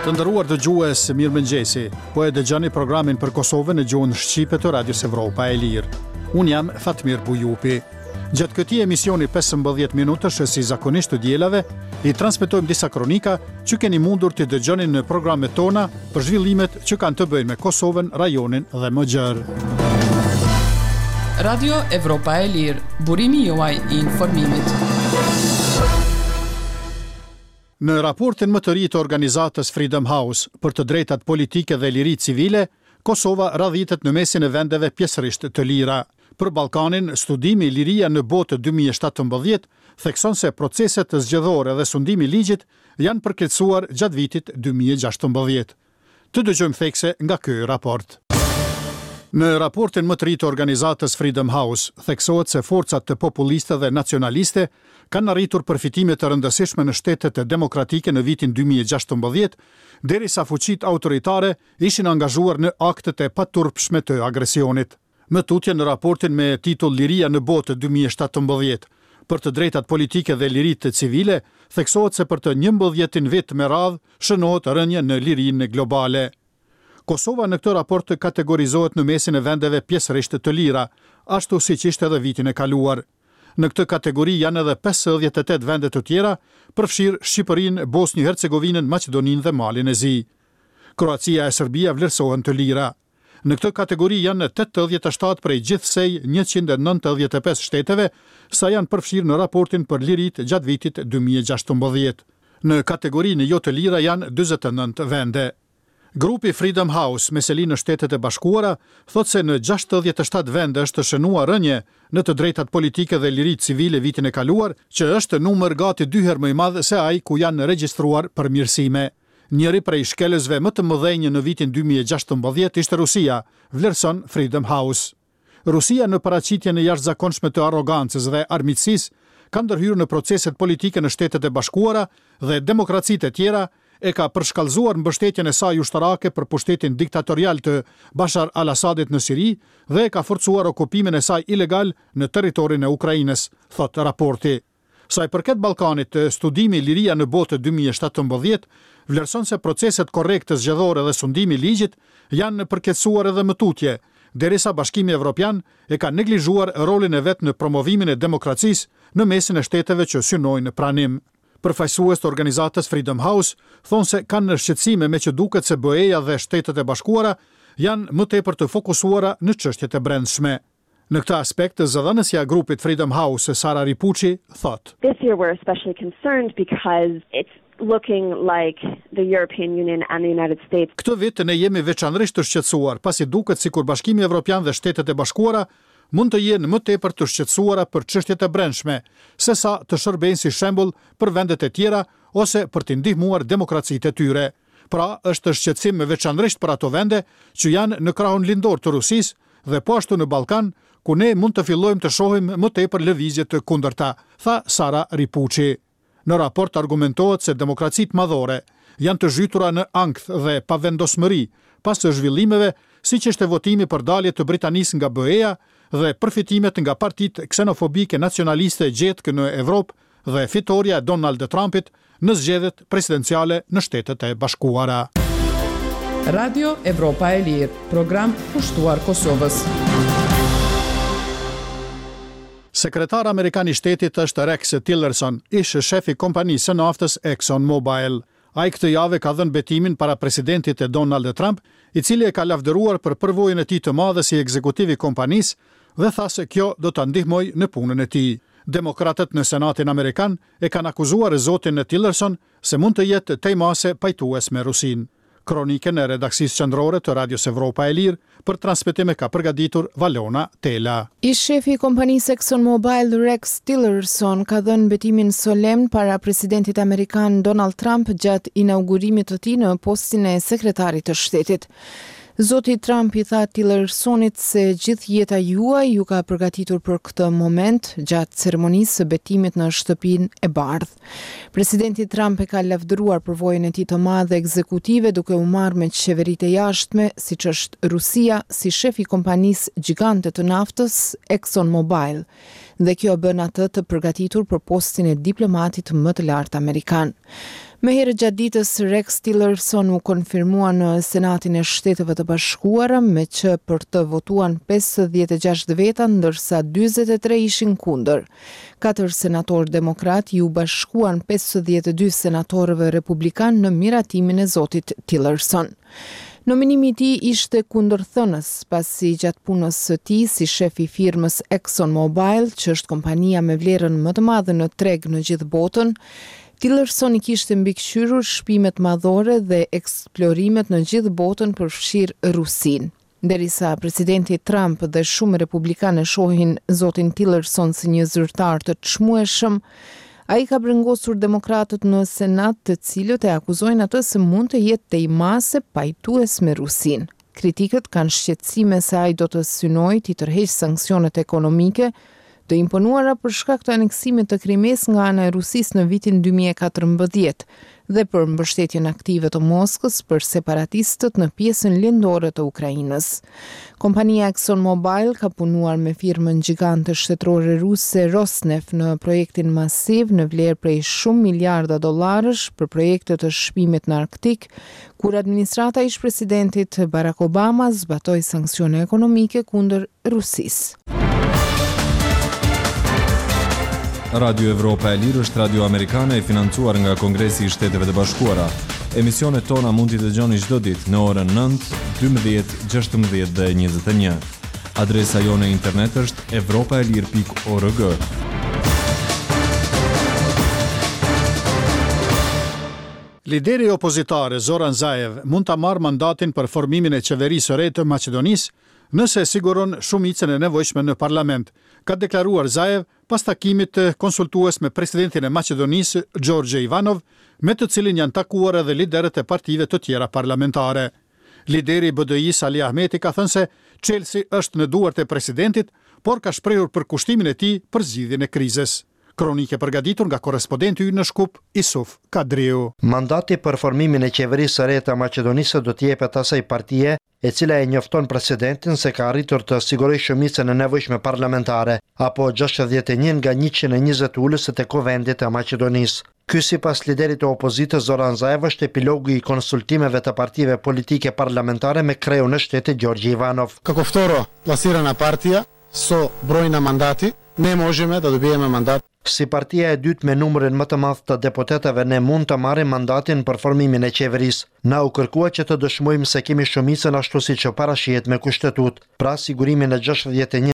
Të nderuar dëgjues, mirëmëngjesi. Po e dëgjoni programin për Kosovën në gjuhën shqipe të Radios Evropa e Lirë. Unë jam Fatmir Bujupi. Gjatë këtij emisioni 15 minutësh si zakonisht të dielave, i transmetojmë disa kronika që keni mundur t'i dëgjoni në programet tona për zhvillimet që kanë të bëjnë me Kosovën, rajonin dhe më gjerë. Radio Evropa e Lirë, burimi juaj i informimit. Në raportin më të ri të organizatës Freedom House për të drejtat politike dhe liritë civile, Kosova radhitet në mesin e vendeve pjesërisht të lira. Për Ballkanin, studimi Liria në Botë 2017 thekson se proceset zgjedhore dhe sundimi i ligjit janë përkeqësuar gjatë vitit 2016. Të dëgjojmë thekse nga ky raport. Në raportin më të ri të organizatës Freedom House, theksohet se forcat populiste dhe nacionaliste kanë arritur përfitime të rëndësishme në shtetet demokratike në vitin 2016, derisa fuqitë autoritare ishin angazhuar në aktet e paturpshme të agresionit. Më tutje në raportin me titull Liria në botë 2017, për të drejtat politike dhe liritë civile, theksohet se për të njëmbëdhjetin vit me radhë shënohet rënie në lirinë globale. Kosova në këtë raport kategorizohet në mesin e vendeve pjesërisht të lira, ashtu siç ishte edhe vitin e kaluar. Në këtë kategori janë edhe 58 vende të tjera, përfshirë Shqipërinë, Bosnjë-Hercegovinën, Maqedoninë dhe Malin e Zi. Kroacia e Serbia vlerësohen të lira. Në këtë kategori janë 87 prej gjithsej 195 shteteve, sa janë përfshirë në raportin për liritë gjatë vitit 2016. Në kategorinë jo të lira janë 49 vende. Grupi Freedom House me seli në Shtetet e Bashkuara thotë se në 67 vende është shënuar rënie në të drejtat politike dhe liritë civile vitin e kaluar, që është numër gati dy herë më i madh se ai ku janë regjistruar përmirësime. Njëri prej shkelësve më të mëdhenj në vitin 2016 ishte Rusia, vlerëson Freedom House. Rusia në paraqitjen e jashtëzakonshme të arrogancës dhe armiqësisë ka ndërhyrë në proceset politike në Shtetet e Bashkuara dhe demokracitë e tjera e ka përshkallëzuar mbështetjen e saj ushtarake për pushtetin diktatorial të Bashar al-Assadit në Siri dhe e ka forcuar okupimin e saj ilegal në territorin e Ukrainës, thotë raporti. Sa i përket Ballkanit, studimi Liria në botë 2017 vlerëson se proceset korrekte zgjedhore dhe sundimi i ligjit janë përkeqësuar edhe më tutje, derisa Bashkimi Evropian e ka neglizhuar rolin e vet në promovimin e demokracisë në mesin e shteteve që synojnë pranim. Përfaqësues të organizatës Freedom House thonë se kanë shqetësime me që duket se BE-ja dhe Shtetet e Bashkuara janë më tepër të fokusuara në çështjet e brendshme. Në këtë aspekt, zëdhënësja e grupit Freedom House, Sara Ripucci, thotë. This year we're especially concerned because it's looking like the European Union and the United States. Këtë vit ne jemi veçanërisht të shqetësuar, pasi duket sikur Bashkimi Evropian dhe Shtetet e Bashkuara mund të jenë më tepër të shqetësuara për çështjet e brendshme, sesa të shërbejnë si shembull për vendet e tjera ose për t'i ndihmuar demokracitë e tyre. Pra, është shqetësim veçanërisht për ato vende që janë në krahun lindor të Rusisë dhe po ashtu në Ballkan, ku ne mund të fillojmë të shohim më tepër lëvizje të kundërta, tha Sara Ripucci. Në raport argumentohet se demokracitë madhore janë të zhytura në ankth dhe pavendosmëri pas zhvillimeve siç ishte votimi për dalje të Britanisë nga BE-ja dhe përfitimet nga partitë ksenofobike nacionaliste gjetkë në Evropë dhe fitorja e Donald Trumpit në zgjedhjet presidenciale në Shtetet e Bashkuara. Radio Evropa e Lirë, program kushtuar Kosovës. Sekretar amerikan i shtetit është Rex Tillerson, ish shef i kompanisë së naftës Exxon Mobil. Ai këtë javë ka dhënë betimin para presidentit Donald Trump, i cili e ka lavdëruar për përvojën e tij të madhe si ekzekutiv i kompanisë dhe tha se kjo do ta ndihmojë në punën e tij. Demokratët në Senatin amerikan e kanë akuzuar zotin Tillerson se mund të jetë tej mase pajtues me Rusinë. Kronikën e redaksisë qendrore të Radios Evropa e Lirë për transmetim e ka përgatitur Valona Tela. Ish-shefi i kompanisë ExxonMobil Rex Tillerson ka dhënë betimin solemn para presidentit amerikan Donald Trump gjatë inaugurimit të tij në postin e sekretarit të shtetit. Zoti Trump i tha Tillersonit se gjithë jeta juaj ju ka përgatitur për këtë moment gjatë ceremonisë së betimit në Shtëpinë e Bardhë. Presidenti Trump e ka lavdëruar përvojën e tij të madhe ekzekutive duke u marrë me qeveritë e jashtme, siç është Rusia, si shef i kompanisë gjigante të naftës ExxonMobil. Dhe kjo e bën atë të përgatitur për postin e diplomatit më të lartë amerikan. Më herët gjatë ditës, Rex Tillerson u konfirmua në Senatin e Shteteve të Bashkuara, me që për të votuan 56 veta, ndërsa 43 ishin kundër. Katër senatorë demokratë iu bashkuan 52 senatorëve republikanë në miratimin e zotit Tillerson. Nominimi i tij ishte kundërthënës, pasi gjatë punës së tij si shef i firmës Exxon Mobil, që është kompania me vlerën më të madhe në treg në gjithë botën, Tillerson i kishte mbikëqyrur shpimet madhore dhe eksplorimet në gjithë botën përfshirë Rusinë. Derisa presidenti Trump dhe shumë republikanë e shohin zotin Tillerson si një zyrtar të çmueshëm, ai ka brengosur demokratët në Senat të cilët e akuzojnë atë se mund të jetë tej mase pajtues me Rusinë. Kritikët kanë shqetësime se ai do të synojë t'i tërheqë sanksionet ekonomike të imponuara për shkak të aneksimit të Krimesë nga ana e Rusisë në vitin 2014 dhe për mbështetjen aktive të Moskës për separatistët në pjesën lindore të Ukrainës. Kompania ExxonMobil ka punuar me firmën gjigante shtetërore ruse Rosneft në projektin masiv në vlerë prej shumë miliarda dollarësh për projekte të shpimit në Arktik, kur administrata e ish-presidentit Barack Obama zbatoi sanksione ekonomike kundër Rusisë. Radio Evropa e Lirë është radio amerikane e financuar nga Kongresi i Shteteve të Bashkuara. Emisionet tona mund t'i dëgjoni çdo ditë në orën 9, 12, 16 dhe 21. Adresa jonë e internet është evropaelire.org. Lideri opozitar Zoran Zaev mund ta marrë mandatin për formimin e qeverisë së re të Maqedonisë nëse e siguron shumicën e nevojshme në parlament, ka deklaruar Zaev pas takimit konsultues me presidentin e Maqedonisë, Gjorgje Ivanov, me të cilin janë takuar edhe liderët e partive të tjera parlamentare. Lideri i BDI-së Ali Ahmeti ka thënë se çelësi është në duart e presidentit, por ka shprehur përkushtimin e tij për zgjidhjen e krizës. Kronikë e përgatitur nga korrespondenti ynë në Shkup, Isuf Kadriu. Mandati për formimin e qeverisë së re të Maqedonisë do t'i jepet asaj partie, e cila e njofton presidentin se ka arritur të sigurojë shumicën e nevojshme parlamentare, apo 61 nga 120 ulëset e Kuvendit të Maqedonisë. Ky sipas liderit të opozitës Zoran Zaev është epilogu i konsultimeve të partive politike parlamentare me kreun e shtetit Gjorgji Ivanov. Како второ пласирана партија со број на мандати, не можеме да добиеме мандат. Si partia e dytë me numrin më të madh të deputetëve ne mund të marrim mandatin për formimin e qeverisë. Na u kërkua që të dëshmojmë se kemi shumicën ashtu siç parashihet me kushtetutë, pra sigurimin e 61.